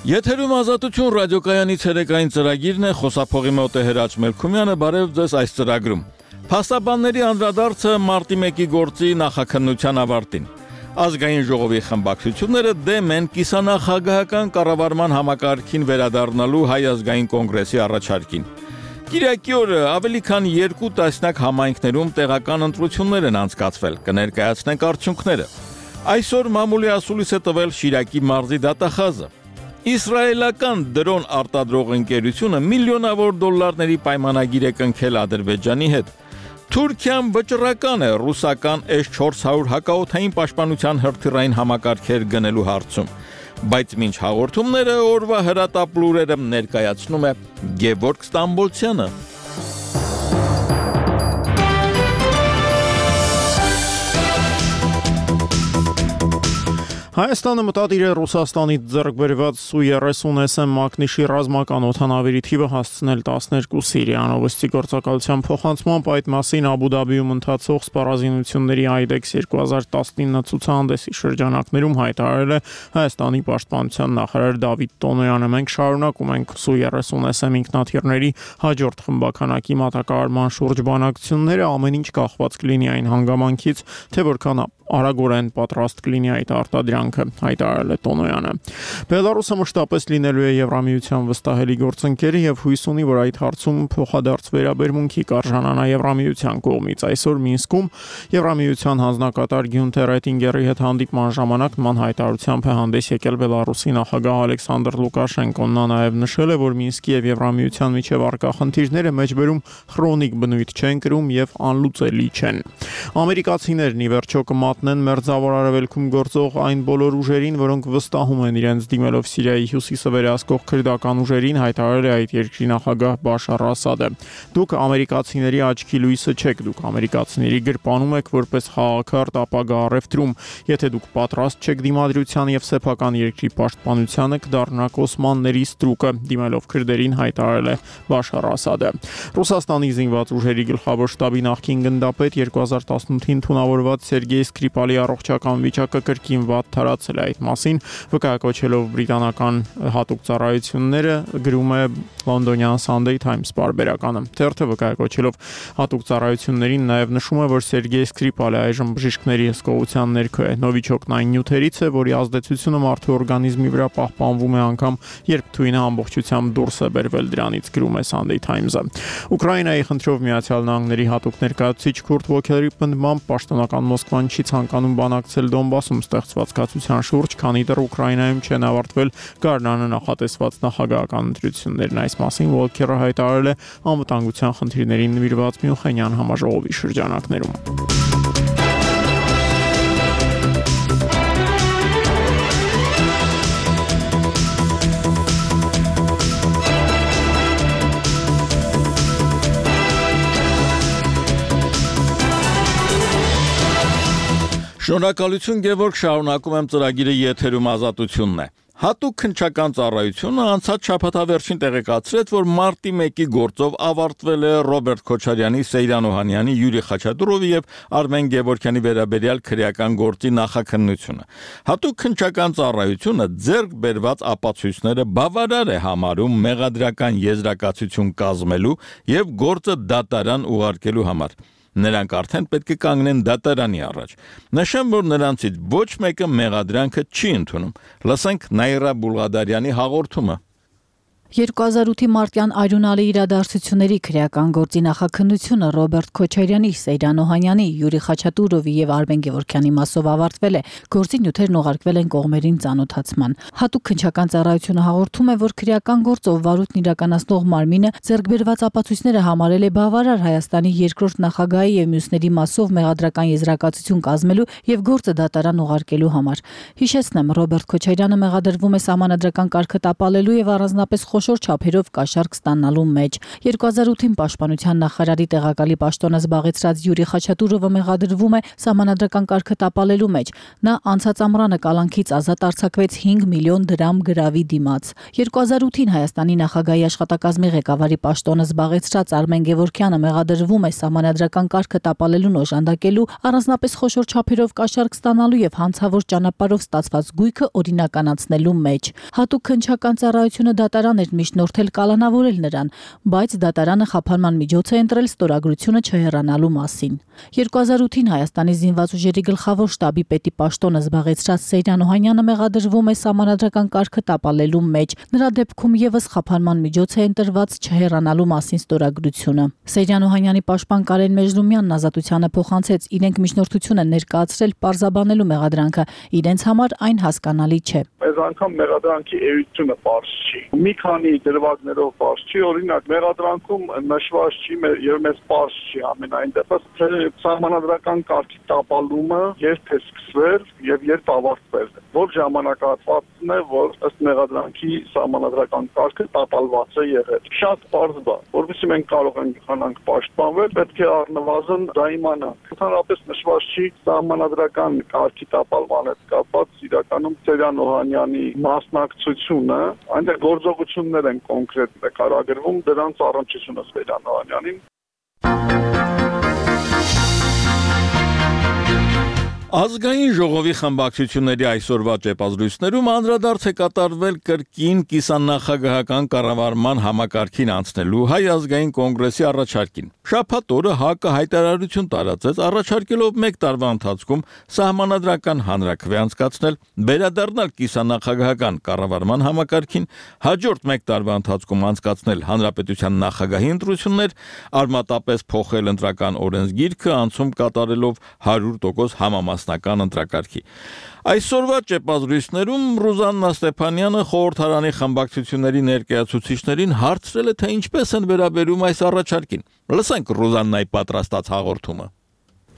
Եթերում ազատություն ռադիոկայանի ցերեկային ծրագիրն է, խոսափողի մոտ է Հրաչ Մելքումյանը, բարև ձեզ այս ծրագրում։ Փաստաբանների անդրադարձը մարտի 1-ի գործի նախաքննության ավարտին։ Ազգային ժողովի խմբակցությունները դեմ են կիսանախագահական կառավարման համակարգին վերադառնալու Հայ ազգային կոնգրեսի առաջարկին։ Կիրակի օրը ավելի քան 2 տասնյակ համայնքներում տեղական ընտրություններ են անցկացվել, կներկայացնենք արդյունքները։ Այսօր մամուլի ասուլիս է տվել Շիրակի մարզի դատախազը։ Իսրայելական դրոն արտադրող ընկերությունը միլիոնավոր դոլարների պայմանագիր է կնքել Ադրբեջանի հետ։ Թուրքիան վճռական է ռուսական S-400 հակաօդային պաշտպանության հրթիռային համակարգեր գնելու հարցում, բայց մինչ հաղորդումները օրվա հրատապ լուրերը ներկայացնում է Գևորգ Ստամբոլցյանը։ Հայաստանը մտադիր է Ռուսաստանից ձեռք բերված Su-30 մակնիշի ռազմական օդանավերի թիվը հասցնել 12 Սիրիան։ Ովստի գործակալության փոխանցմամբ այդ մասին Աբու Դաբիում ընթացող սպառազինությունների IDEX 2019 ցուցահանդեսի շրջանակներում հայտարարել է Հայաստանի պաշտպանության նախարար Դավիթ Տոնոյանը։ Մենք շարունակում ենք Su-30 ինքնաթիռների հաջորդ խմբականակի մատակարարման շուրջ բանակցությունները, ամեն ինչ կախված կլինի այն հանգամանքից, թե որքան արագորեն պատրաստ կլինի այդ արտադրանքը, հայտարարել է Տոնոյանը։ Բելարուսը մշտապես լինելու է Եվրամիության վստահելի գործընկերը եւ հույս ունի, որ այդ հարցում փոխադարձ վերաբերմունքի կարժանանա Եվրամիության կողմից։ Այսօր Մինսկում Եվրամիության հանձնակատար Գյունտեր Էտինգերի հետ հանդիպման ժամանակ նման հայտարարությամբ է հանդես եկել Բելարուսի նախագահ Ալեքսանդր Լուկաշենկոն։ Նա նաեւ նշել է, որ Մինսկի եւ Եվրամիության միջև առկա խնդիրները մեջբերում քրոնիկ բնույթ չեն կրում եւ անլուծելի չեն։ Ամերիկացիներն ի վերջո կմատնեն մերձավոր արևելքում գործող այն բոլոր ուժերին, որոնք վստահում են իրենց դիմելով Սիրիայի հյուսիսը վերահսկող քրդական ուժերին, հայտարարել է այդ երկրի նախագահ Բաշար Ասադը։ Դուք ամերիկացիների աչքի լույսը չեք, դուք ամերիկացիների գրպանում եք որպես խաղաղարդ ապագա առևտրում։ Եթե դուք պատրաստ չեք դիմադրության եւ սեփական երկրի պաշտպանությանը, կդառնաք օսմանների ստրուկը, դիմելով քրդերին, հայտարարել է Բաշար Ասադը։ Ռուսաստանի զինված ուժերի գլխավոր շտաբի նախկին գնդապետ 2018-ին թունավորված Սերգեյ Սկրիպալի առողջական վիճակը կրկին վատ թարացել է։ Այդ մասին վկայակոչելով բրիտանական հատուկ ծառայությունները, գրում է լոնդոնյան Sunday Times պարբերականը։ Թերթը վկայակոչելով հատուկ ծառայություններին նաև նշում է, որ Սերգեյ Սկրիպալը այժմ բժիշկների հսկողության ներքո է։ Նովիչոկն այն նյութերից է, որի ազդեցությունը մարդու օրգանիզմի վրա պահպանվում է անգամ երբ թույնը ամբողջությամբ դուրս է բերվել դրանից, գրում է Sunday Times-ը։ Ուկրաինայի խնդրով Միացյալ Նահանգների հատուկ ներկայացուցիչ Քուրտ Վոքերի պնդմամբ պաշտոնական Մոսկվան չի ցանկանում բանակցել Դոնբասում ստեղծված կացության շուրջ, քանի դեռ Ուկրաինայում չեն ավարտվել գարնանը նախատեսված նախագահական ընտրություններն։ Այս մասին Վոլքերը հայտարարել է անվտանգության խնդիրներին նվիրված Մյունխենյան համաժողովի շրջանակներում։ Շնորհակալություն Գևորգ, շարունակում եմ ծրագիրը եթերում ազատությունն է։ Հատուկ քննչական ծառայությունը անցած շաբաթավերջին տեղեկացրեց, որ մարտի 1-ի գործով ավարտվել է Ռոբերտ Քոչարյանի, Սեյրան Օհանյանի, Յուրի Խաչատուրովի եւ Արմեն Գևորգյանի վերաբերյալ քրեական գործի նախաքննությունը։ Հատուկ քննչական ծառայությունը ձեռք բերված ապացույցները բավարար է համարում մեղադրական եզրակացություն կազմելու եւ գործը դատարան ուղարկելու համար։ Նրանք արդեն պետք է կանգնեն դատարանի առաջ։ Նշեմ, որ նրանցից ոչ մեկը մեղադրանքը չի ընդունում։ Լսենք Նաիրա Բուլղադարյանի հաղորդումը։ 2008-ի մարտյան այրունալի իրադարձությունների քրեական գործի նախաքննությունը Ռոբերտ Քոչարյանի, Սեյրան Օհանյանի, Յուրի Խաչատուրովի եւ Արմեն Գևորգյանի մասով ավարտվել է։ Գործի նյութերն ուղարկվել են կողմերին ծանոթացման։ Հատուկ քննչական ծառայությունը հաղորդում է, որ քրեական գործով վարույթն իրականացնող մարմինը ձեռք բերված ապացույցները համարել է բավարար Հայաստանի երկրորդ նախագահի եւ մյուսների մասով մեղադրական եզրակացություն կազմելու եւ գործը դատարան ուղարկելու համար։ Հիշեցնեմ, Ռոբերտ Քոչարյանը մեղադրվում է սահմանադրական կարգը տապալելու եւ առանձնապես խոշոր չափերով կաշառք ստանալու մեջ։ 2008-ին Պաշտպանության նախարարի տեղակալի պաշտոնը զբաղեցրած Յուրի Խաչատուրովը մեղադրվում է սահմանադրական կարգը տապալելու մեջ։ Նա անցած ամռանը կալանքից ազատ արձակվեց 5 միլիոն դրամ գրավի դիմաց։ 2008-ին Հայաստանի նախագահի աշխատակազմի ղեկավարի պաշտոնը զբաղեցրած Արմեն Գևորգյանը մեղադրվում է սահմանադրական կարգը տապալելուն օժանդակելու, առանձնապես խոշոր չափերով կաշառք ստանալու եւ հանցավոր ճանապարհով ստացված գույքը օրինականացնելու մեջ։ Հատուկ քննչական ծառայությունը դատարան էր միջնորդել կալանավորել նրան, բայց դատարանը խափանման միջոց է ընտրել ստորագրությունը չհեռանալու մասին։ 2008-ին Հայաստանի զինված ուժերի գլխավոր շտաբի պետի պաշտոնը զբաղեցրած Սեյրան Օհանյանը մեղադրվում է սահմանադրական կարգը տապալելու մեջ։ Նրա դեպքում եւս խափանման միջոց է ընտրված չհեռանալու մասին ստորագրությունը։ Սեյրան Օհանյանի պաշտպան Կարեն Մեժլումյանն ազատությանը փոխանցեց իրենք միջնորդություն են ներկայացրել պարզաբանելու մեղադրանքը, իրենց համար այն հասկանալի չէ։ Այս անգամ մեղադրանքի էությունը պարզ չի։ Մի քանի դրվագներով պարզ չի, օրինակ մեղադրանքում նշված չի եւ մեզ պարզ չի ամենայն դեպս սահմանադրական կարգի տապալումը երբ է սկսվել եւ երբ ավարտվել է։ Որ ժամանակահատվածն է, որ ըստ մեղադրանքի սահմանադրական կարգը տապալված է եղել։ Շատ պարզ բան, որովհետեւ մենք կարող ենք խանանք պաշտպանվել, պետք է առնվազն դա իմանանք։ Ընդհանրապես նշված չի սահմանադրական կարգի տապալման հետ կապված իրականում Սեյրան Օհանյանի մասնակցությունը, այնտեղ գործողություններ են կոնկրետ նկարագրվում, դրանց առնչությունը Սեյրան Օհանյանին։ Ազգային ժողովի խմբակցությունների այսօրվա ճեպազրույցներում անդրադարձ է կատարվել կրկին կիսանախագահական կառավարման համակարգին անցնելու Հայ ազգային կոնգրեսի առաջարկին։ Շաբաթ օրը ՀԱԿ-ը հայտարարություն տարածեց, առաջարկելով 1 տարվա ընթացքում սահմանադրական հանրաքվե անցկացնել, վերադառնալ կիսանախագահական կառավարման համակարգին, հաջորդ 1 տարվա ընթացքում անցկացնել հանրապետության նախագահի ընտրություններ, արմատապես փոխել ընտրական օրենսգիրքը, անցում կատարելով 100% համամասնական ընտրակարգի։ Այսօրվա ճեպազրույցներում Ռուզաննա Ստեփանյանը խորհրդարանի խմբակցությունների ներկայացուցիչներին հարցրել է, թե ինչպես են վերաբերում այս առաջարկին։ Լսենք Ռուզաննայի պատրաստած հաղորդումը։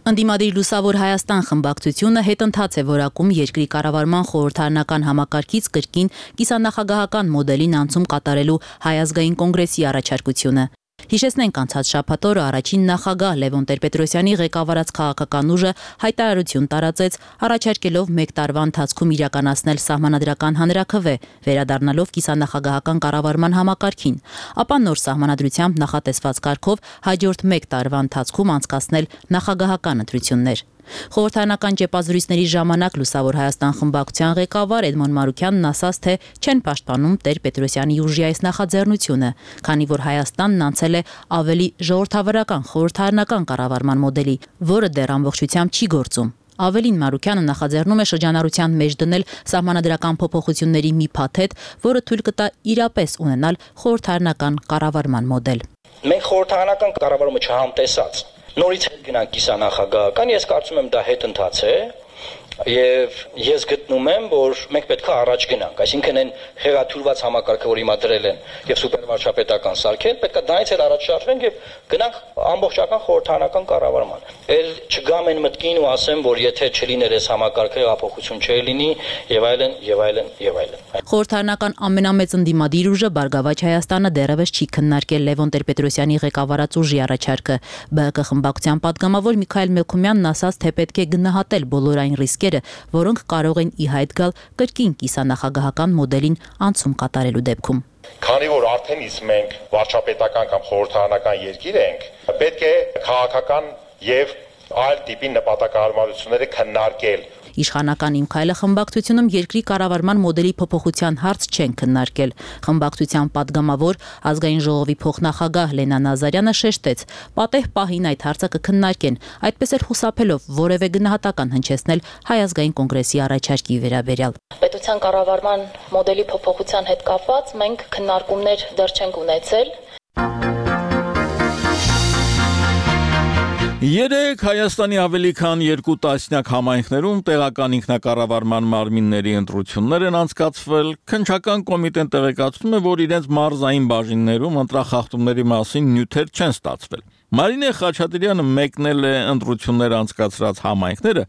Ընդդիմադիր Լուսավոր Հայաստան խմբակցությունը հետընթաց է որակում երկրի կառավարման խորհրդարանական համակարգից կրկին կիսանախագահական մոդելին անցում կատարելու Հայ ազգային կոնգրեսի առաջարկությունը։ Հիշեցնենք անցած շաբաթ օրը առաջին նախագահ Լևոն Տեր-Պետրոսյանի ղեկավարած քաղաքական ուժը հայտարարություն տարածեց, առաջարկելով 1 տարվա ընթացքում իրականացնել սահմանադրական հանրաքվե, վերադառնալով կիսանախագահական կառավարման համակարգին, ապա նոր սահմանադրությամբ նախատեսված կարգով հաջորդ 1 տարվա ընթացքում անցկացնել նախագահական ընտրություններ։ Խորհրդարանական ճեպազրույցների ժամանակ Լուսավոր Հայաստան խմբակցության ղեկավար Էդմոն Մարուքյանն ասաց, թե չեն պաշտպանում Տեր-Պետրոսյանի ուժի այս նախաձեռնությունը, քանի որ Հայաստանն անցել է ավելի ժողովրդավարական խորհրդարանական կառավարման մոդելի, որը դեռ ամբողջությամբ չի գործում։ Ավելին Մարուքյանը նախաձեռնում է շրջանառության մեջ դնել սահմանադրական փոփոխությունների մի փաթեթ, որը թույլ կտա իրապես ունենալ խորհրդարանական կառավարման մոդել։ Մենք խորհրդարանական կառավարումը չհամտեսած նորից հետ գնանք կիսանախագահական, ես կարծում եմ դա հետընթաց է եւ ես գտնում եմ, որ մենք պետք է առաջ գնանք, այսինքն այն խեղաթյուրված համակարգը, որ հիմա դրել են եւ սուպերվարչապետական սարքել, պետք է դրանից էլ առաջ շարժվենք եւ գնանք ամբողջական խորհրդարանական կառավարման։ Էլ չգամ այն մտքին ու ասեմ, որ եթե չլիներ այս համակարգը, հեղափոխություն չէ լինի եւ այլն եւ այլն եւ այլն։ Խորհրդարանական ամենամեծ ընդդիմադիր ուժը Բարգավաճ Հայաստանը դեռևս չի քննարկել Լևոն Տեր-Պետրոսյանի ղեկավարած ուժի առաջարկը։ ԲՀԿ խմբակցության պատգամավոր Միքայել Մելքումյանն ասաց, թե պետք է գնահատել բոլոր այն ռիսկերը, որոնք կարող են ի հայտ գալ կրկին կիսանախագահական մոդելին անցում կատարելու դեպքում։ Քանի որ արդեն իսկ մենք վարչապետական կամ խորհրդարանական երկիր ենք, պետք է քաղաքական եւ այլ տիպի նպատակահարմարությունները քննարկել։ Իշխանական Իմ քայլը խմբակցությունում երկրի կառավարման մոդելի փոփոխության հարց չեն քննարկել։ Խմբակցության պատգամավոր ազգային ժողովի փոխնախագահ Լենա Նազարյանը շեշտեց, պատեհ պահին այդ հարցը կքննարկեն, այդպես էլ խուսափելով որևէ գնահատական հնչեցնել Հայ ազգային կոնգրեսի առաջարկի վերաբերյալ։ Պետության կառավարման մոդելի փոփոխության հետ կապված մենք քննարկումներ դեռ չենք ունեցել։ Երեք Հայաստանի ավելի քան 2 տասնյակ համայնքներում տեղական ինքնակառավարման մարմինների ընտրություններ են անցկացվել։ Քննչական կոմիտեն տեղեկացնում է, որ իրենց մարզային բաժիններում ընտրախախտումների մասին նյութեր չեն ստացվել։ Մարինե Խաչատրյանը մեկնել է ընտրություններ անցկացրած համայնքները,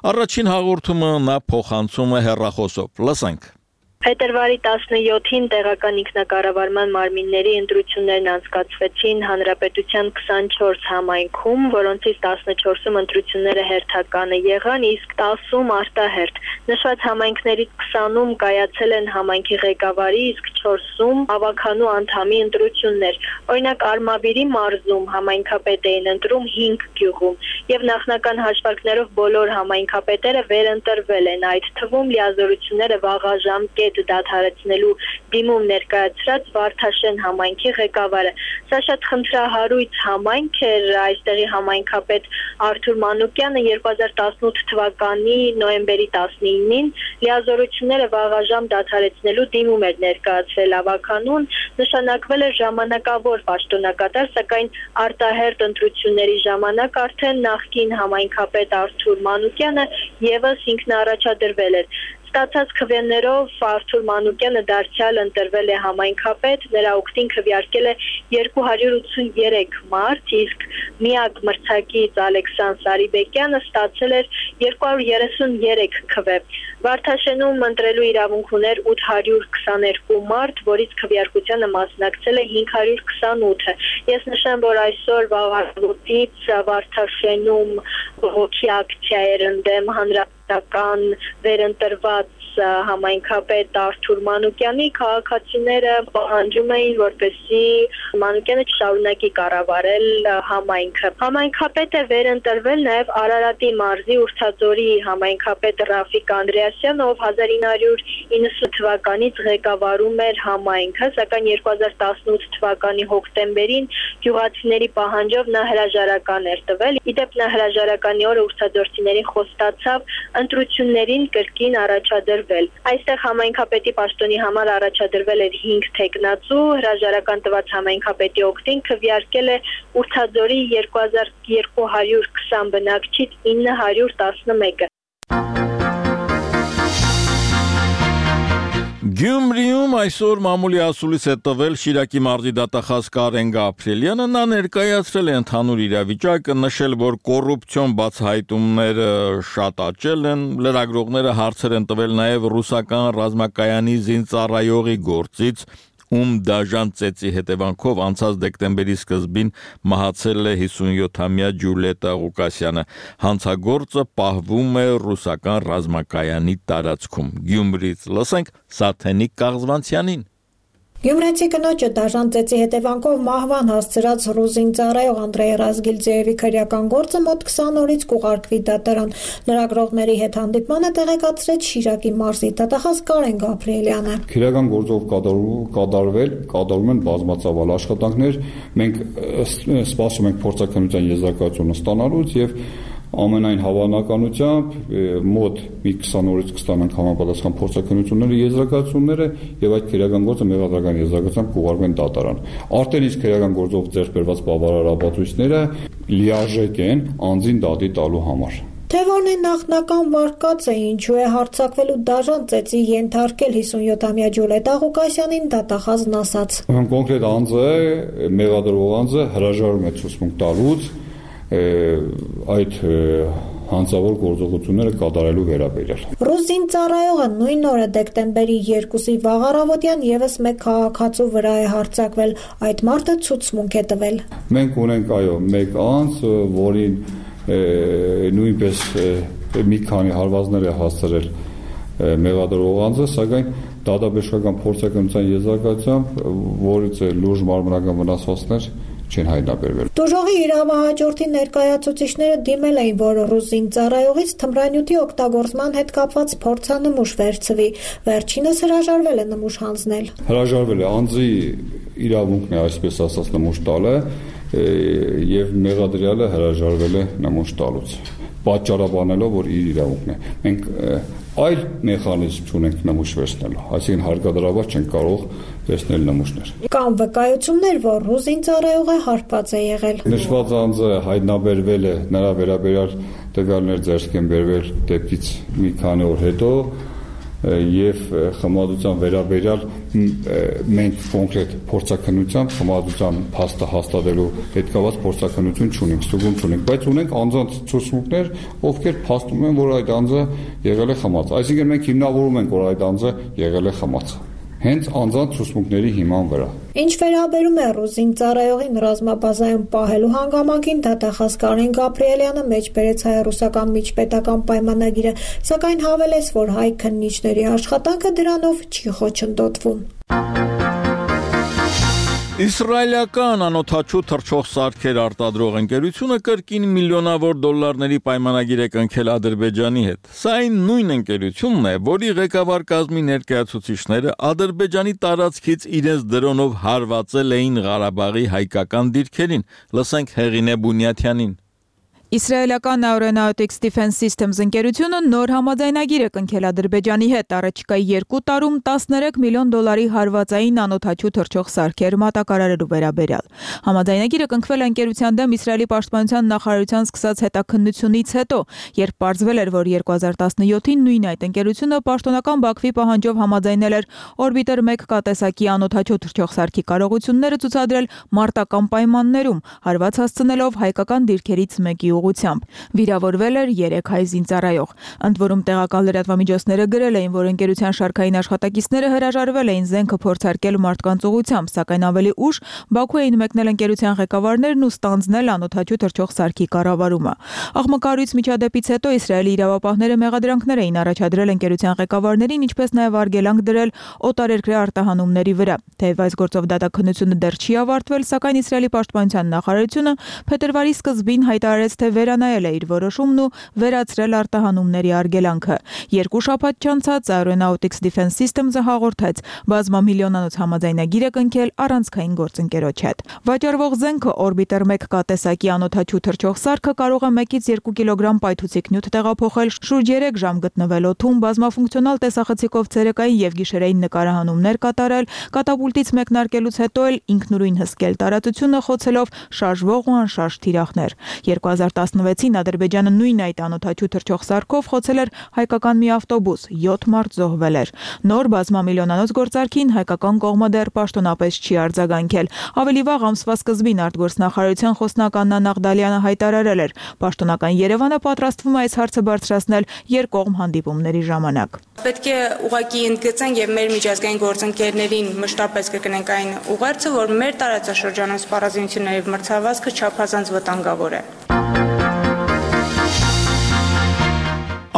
առաջին հաղորդումը նա փոխանցում է հեռախոսով։ Լսենք։ Փետրվարի 17-ին տեղական ինքնակառավարման մարմինների ընտրություններն անցկացվեցին Հանրապետության 24 համայնքում, որոնցից 14-ում ընտրությունները հերթականը եղան, իսկ 10-ում արտահերթ։ Նշված համայնքներից 20-ում կայացել են համայնքի ղեկավարի, իսկ 4-ում ավականու անդամի ընտրություններ։ Օրինակ Արմավիրի մարզում համայնքապետ էին ընտրում 5 գյուղում, եւ նախնական հաշվարկներով բոլոր համայնքապետերը վերընտրվել են, այդ թվում լիազորությունները վաղաժամ դադարեցնելու դիմում ներկայացրած Վարդաշեն համայնքի ղեկավարը։ Սա շատ խնդրահարույց համայնք էր, այստեղի համայնքապետ Արթուր Մանուկյանը 2018 թվականի նոյեմբերի 19-ին լիազորությունները վաղաժամ դադարեցնելու դիմում էր ներկայացրել ավականուն, նշանակվել էր ժամանակավոր պաշտոնակատար, սակայն արտահերթ ընտրությունների ժամանակ արդեն նախկին համայնքապետ Արթուր Մանուկյանը եւս ինքնաառաջադրվել էր։ Ստացած քվեներով Արթուր Մանուկյանը դարձյալ ընտրվել է համայնքապետ, նրա օգտին քվեարկել է 283 մարդ, իսկ միակ մրցակից Ալեքսան Սարիբեկյանը ստացել էր 233 քվե։ Վարդաշենում ընտրելու իրավունք ուներ 822 մարդ, որից քվեարկությանը մասնակցել է 528-ը։ Ես նշեմ, որ այսօր վաղարուտից Վարդաշենում բողոքի ակցիա էր ընդդեմ հանրապետական վերընտրված համայնքապետ Արթուր Մանուկյանի, քաղաքացիները պահանջում էին, որպեսզի Մանուկյանը չշարունակի կառավարել համայնքը։ Համայնքապետը վերընտրվել նաև Արարատի մարզի Ուրթաձորի համայնքապետ Ռաֆիկ Անդրեասյանը, ով 1990 թվականից ղեկավարում էր համայնքը, սակայն 2018 թվականի հոկտեմբերին գյուղացիների պահանջով նա հրաժարական էր տվել։ Իդեպ նա հրաժարականի օրը ուրցաձորցիներին խոստացավ ընտրություններին կրկին առաջադրվել։ Այստեղ համայնքապետի պաշտոնի համար առաջադրվել էր 5 թեկնածու, հրաժարական տված համայնքապետի օգտին քվեարկել է Ուրթաձորի 2220 բնակչից 911-ը։ Գյումրիում այսօր մամուլի ասուլիս է տվել Շիրակի մարզի դատախազ Կարեն Գաբրիելյանը, նա ներկայացրել է ընդհանուր իրավիճակը, նշել, որ կոռուպցիոն բացահայտումները շատ աճել են, լրագրողները հարցեր են տվել նաև ռուսական ռազմակայանի զինծառայողի գործից, ում դաժան ծեծի հետևանքով անցած դեկտեմբերի սկզբին մահացել է 57-ամյա Ջուլիետա Ղուկասյանը։ Հանցագործը պահվում է ռուսական ռազմակայանի տարածքում։ Գյումրիից լսենք Սաթենիկ Կաղզվանցյանին։ Գյումրեցի կնոջը դաժան ծեծի հետևանքով մահվան հասցրած ռուզին ծառայող Անդրեյ Ռազգիլձեևի քրեական գործը մոտ 20 օրից կուղարկվի դատարան։ Լրագրողների հետ հանդիպմանը տեղեկացրեց Շիրակի մարզի դատախազ Կարեն Գաբրիելյանը։ Քրեական գործով կատարում են բազմածավալ աշխատանքներ։ Մենք սպասում ենք փորձաքննության եզրակացությունը ստանալուց եւ ամենայն հավանականությամբ մոտ մի 20 օրից կստանանք համապատասխան փորձաքննությունների եզրակացությունները եւ այդ քրեական գործը մեղադրական եզրակացությամբ կուղարկվեն դատարան։ Արդեն իսկ քրեական գործով ձեռք բերված բավարար ապացույցները լիարժեք են անձին դատի տալու համար։ Թե որն է նախնական վարկածը, ինչու է հարձակվելու դաժան ծեծի ենթարկել 57-ամյա Ջուլիետա Ղուկասյանին, դատախազն ասաց։ Կոնկրետ անձը, մեղադրվող անձը հրաժարվում է ցուցմունք տալուց այդ հանցավոր գործողությունները կատարելու վերաբերյալ։ Ռուզին ծառայողը նույն օրը դեկտեմբերի 2-ի վաղ առավոտյան եւս մեկ քաղաքացու վրա է հարձակվել, այդ մարդը ցուցմունք է տվել։ Մենք ունենք մեկ անձ, որին նույնպես մի քանի հարվածներ է հասցրել մեղադրվող անձը, սակայն դատաբժշկական փորձաքննության եզրակացությամբ որից լուրջ մարմնական վնասվածքներ չեն հայտնաբերվել։ Դժողի իրավահաջորդի ներկայացուցիչները դիմել էին, որ ռուզին ծառայողից թմրանյութի օգտագործման հետ կապված փորձանմուշ վերցվի։ Վերջինս հրաժարվել է նմուշ հանձնել։ Հրաժարվել է անձի իրավունքն է, այսպես ասած, նմուշ տալը եւ մեղադրյալը հրաժարվել է նմուշ տալուց, պատճառաբանելով, որ իր իրավունքն է։ Մենք այլ մեխանիզմ չունենք նմուշ վերցնելու, այսինքն հարկադրաբար չենք կարող վերցնել նմուշներ։ Կան վկայություններ, որ ռուզին ծառայողը հարբած է եղել։ Նշված անձը հայտնաբերվել է, նրա վերաբերյալ տվյալներ ձեռք են բերվել դեպքից մի քանի օր հետո, եւ խմբադրության վերաբերյալ մենք կոնկրետ փորձաքննությամբ խմբադրության փաստը հաստատելու հետ կապված փորձաքննություն չունենք, ստուգում չունենք, բայց ունենք անձանց ցուցմունքներ, ովքեր փաստում են, որ այդ անձը եղել է խմած։ Այսինքն մենք հիմնավորում ենք, որ այդ անձը եղել է խմած։ Հենց անձանց ցուցմունքների հիման վրա։ Ինչ վերաբերում է ռուզին ծառայողին ռազմաբազայում պահելու հանգամանքին, դատախազ Կարեն Գաբրիելյանը մեջ բերեց հայ-ռուսական միջպետական պայմանագիրը, սակայն հավելեց, որ հայ քննիչների աշխատանքը դրանով չի խոչընդոտվում։ Իսրայելական անօթաչու թռչող սարքեր արտադրող ընկերությունը կրկին միլիոնավոր դոլարների պայմանագիր է կնքել Ադրբեջանի հետ։ Սա այն նույն ընկերությունն է, որի ղեկավար կազմի ներկայացուցիչները Ադրբեջանի տարածքից իրենց դրոնով հարվածել էին Ղարաբաղի հայկական դիրքերին։ Լսենք Հեղինե Բունյաթյանին։ Իսրայելական Aeronautics Defense Systems ընկերությունը նոր համաձայնագիր է կնքել Ադրբեջանի հետ առաջիկայի 2 տարում 13 միլիոն դոլարի հարվածային անօթաչու թռչող սարքեր մատակարարելու վերաբերյալ։ Համաձայնագիրը կնքվել է ընկերության դեմ Իսրայելի պաշտպանության նախարարության սկսած հետաքննությունից հետո, երբ պարզվել էր, որ 2017-ին նույն այդ ընկերությունը պաշտոնական Բաքվի պահանջով համաձայնել էր Orbiter 1 կատեսակի անօթաչու թռչող սարքի կարողությունները ցուցադրել մարտական պայմաններում, հարված հասցնելով հայկական դիրքերից մեկի ուղղությամբ։ Վիրավորվել էր 3 հայ զինծառայող։ Ընդ որում տեղական լրատվամիջոցները գրել էին, որ ընկերության շարքային աշխատակիցները հրաժարվել էին զենքը փորձարկել մարդկանց ուղղությամբ, սակայն ավելի ուշ Բաքու էին մեկնել ընկերության ղեկավարներն ու ստանձնել անօթաչու թռչող սարքի կառավարումը։ Աղմկարույց միջադեպից հետո Իսրայելի իրավապահները մեղադրանքներ էին առաջադրել ընկերության ղեկավարներին, ինչպես նաև արգելանք դրել օտարերկրյա արտահանումների վրա։ Թեև այս գործով դատաքննությունը դեռ չի ավարտվել, սակայն Իսրայելի պաշտպանության նախարարությունը փետրվարի սկզբին հայտարարեց, թե վերանայել է իր որոշումն ու վերացրել արտահանումների արգելանքը։ 2 շաբաթ չանցած Aeronautics Defense Systems-ը հաղորդեց, բազմամիլիոնանոց համաձայնագիր է կնքել առանցքային գործընկերոջ հետ։ Վաճառվող զենքը Orbiter 1 կատեսակի անօթաչու թռչող սարքը կարող է 1-ից 2 կիլոգրամ պայթուցիկ նյութ տեղափոխել, շուրջ 3 ժամ գտնվել օդում, բազմաֆունկցիոնալ տեսախցիկով ցերեկային եւ գիշերային նկարահանումներ կատարել, կատապուլտից մեկնարկելուց հետո էլ ինքնուրույն հսկել տարածությունը խոցելով շարժվող ու անշարժ թիրախներ։ 2016-ին Ադրբեջանը նույն այդ անօթաչու թռչող սարքով խոցել էր հայկական մի ավտոբուս, 7 մարդ զոհվել էր։ Նոր բազմամիլիոնանոց գործարքին հայկական կողմը դեռ պաշտոնապես չի արձագանքել։ Ավելի վաղ ամսվա սկզբին արտգործնախարարության խոսնակ Աննա Նաղդալյանը հայտարարել էր, պաշտոնական Երևանը պատրաստվում է այս հարցը բարձրացնել երկկողմ հանդիպումների ժամանակ։ Պետք է ուղղակի ընդգծենք եւ մեր միջազգային գործընկերներին մշտապես կգնենք այն ուղերձը, որ մեր տարածաշրջանում սպառազինությունների եւ մրցավազքը չափազանց վտանգավոր է։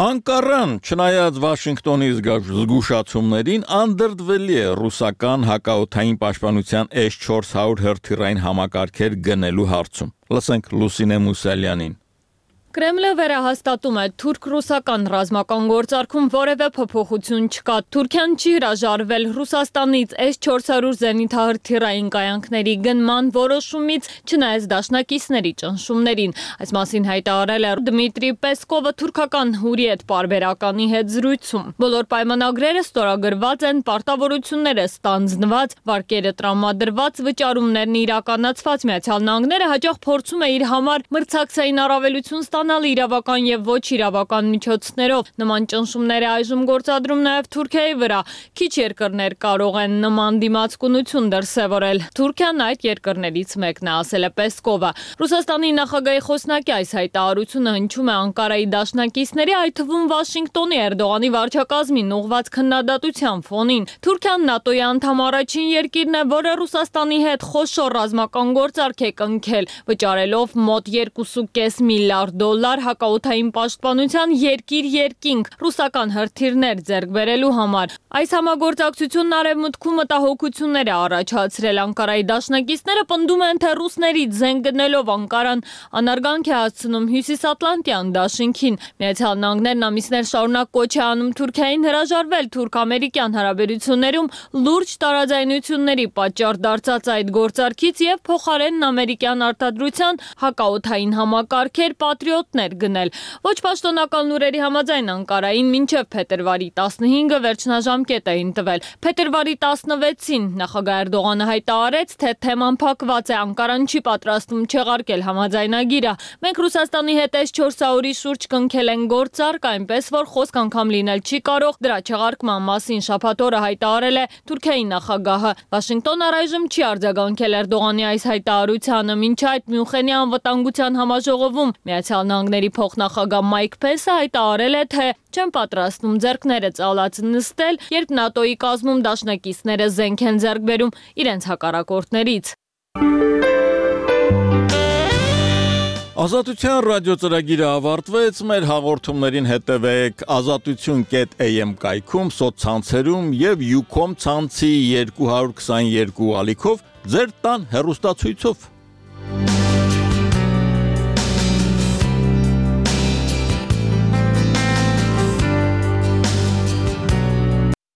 Անկարան, չնայած Վաշինգտոնի զգուշացումներին, անդրդվելի է ռուսական հակաօդային պաշտպանության S-400 հրթիռային համակարգեր գնելու հարցում։ Լսենք Լուսինե Մուսալյանին։ Կրեմլը վերահաստատում է, թուրք-ռուսական ռազմական գործարքում որևէ փոփոխություն չկա։ Թուրքիան չի հրաժարվել Ռուսաստանից S-400 զենիթահրթիռային կայանքների գնման որոշումից, չնայած դաշնակիցների ճնշումներին։ Այս մասին հայտարարել է Դմիտրի Պեսկովը թուրքական Հուրիետ պարբերականի հետ զրույցում։ Բոլոր պայմանագրերը ստորագրված են, պարտավորությունները ստանձնված, վարկերը տրամադրված, վճարումներն իրականացված։ Միացյալ Նահանգները հաճախ փորձում է իր համար մրցակցային առավելություն ստանալ իրավական եւ ոչ իրավական միջոցներով։ Նման ճնշումները այժմ գործադրում նաեւ Թուրքիայի վրա։ Քիչ երկրներ կարող են նման դիմացկունություն դրսևորել։ Թուրքիան այդ երկրներից մեկն է, ասել է Պեսկովը։ Ռուսաստանի նախագահի խոսնակի այս հայտարարությունը հնչում է Անկարայի դաշնակիցների, այդ թվում Վաշինգտոնի Էրդողանի վարչակազմին ուղղված քննադատության ֆոնին։ Թուրքիան ՆԱՏՕ-ի անդամ առաջին երկիրն է, որը Ռուսաստանի հետ խոշոր ռազմական գործարք է կնքել, վճարելով մոտ 2.5 միլիարդ դոլար հակաօդային պաշտպանության երկիր-երկինք ռուսական հրթիռներ ձեռք բերելու համար։ Այս համագործակցությունն արևմուտքում մտահոգություններ է առաջացրել։ Անկարայի դաշնակիցները պնդում են, թե ռուսներից զենք գնելով Անկարան անարգանք է հասցնում Հյուսիսատլանտյան դաշինքին։ Միացյալ Նահանգներն ամիսներ շարունակ կոչ է անում Թուրքիային հրաժարվել թուրք-ամերիկյան հարաբերություններում լուրջ տարաձայնությունների պատճառ դարձած այդ գործարքից եւ փոխարենն ամերիկյան արտադրության հակաօդային համակարգեր Patriot վարչապետներ գնել։ Ոչ պաշտոնական լուրերի համաձայն Անկարային մինչև փետրվարի 15-ը վերջնաժամկետ էին տվել։ Փետրվարի 16-ին նախագահ Էրդողանը հայտարարեց, թե թեման փակված է, Անկարան չի պատրաստվում չեղարկել համաձայնագիրը։ Մենք Ռուսաստանի հետ S-400-ի շուրջ կնքել են գործարք, այնպես որ խոսք անգամ լինել չի կարող, դրա չեղարկման մասին շաբաթ օրը հայտարարել է Թուրքիայի նախագահը։ Վաշինգտոնը առայժմ չի արձագանքել Էրդողանի այս հայտարարությանը, մինչ այդ Մյունխենի անվտանգության համաժողովում Միացյալ Նահանգների փոխնախագահ Մայք Փենսը հայտարարել է, թե չեն պատրաստվում ձեռքները ծալած նստել, երբ ՆԱՏՕ-ի կազմում դաշնակիցները զենք են ձեռք բերում իրենց հակառակորդներից։ Ազատության ռադիոծրագիրը ավարտվեց, մեր հաղորդումներին հետևեք azatutun.am կայքում, սոցցանցերում եւ Ucom ցանցի 222 ալիքով ձեր տան հեռուստացույցով։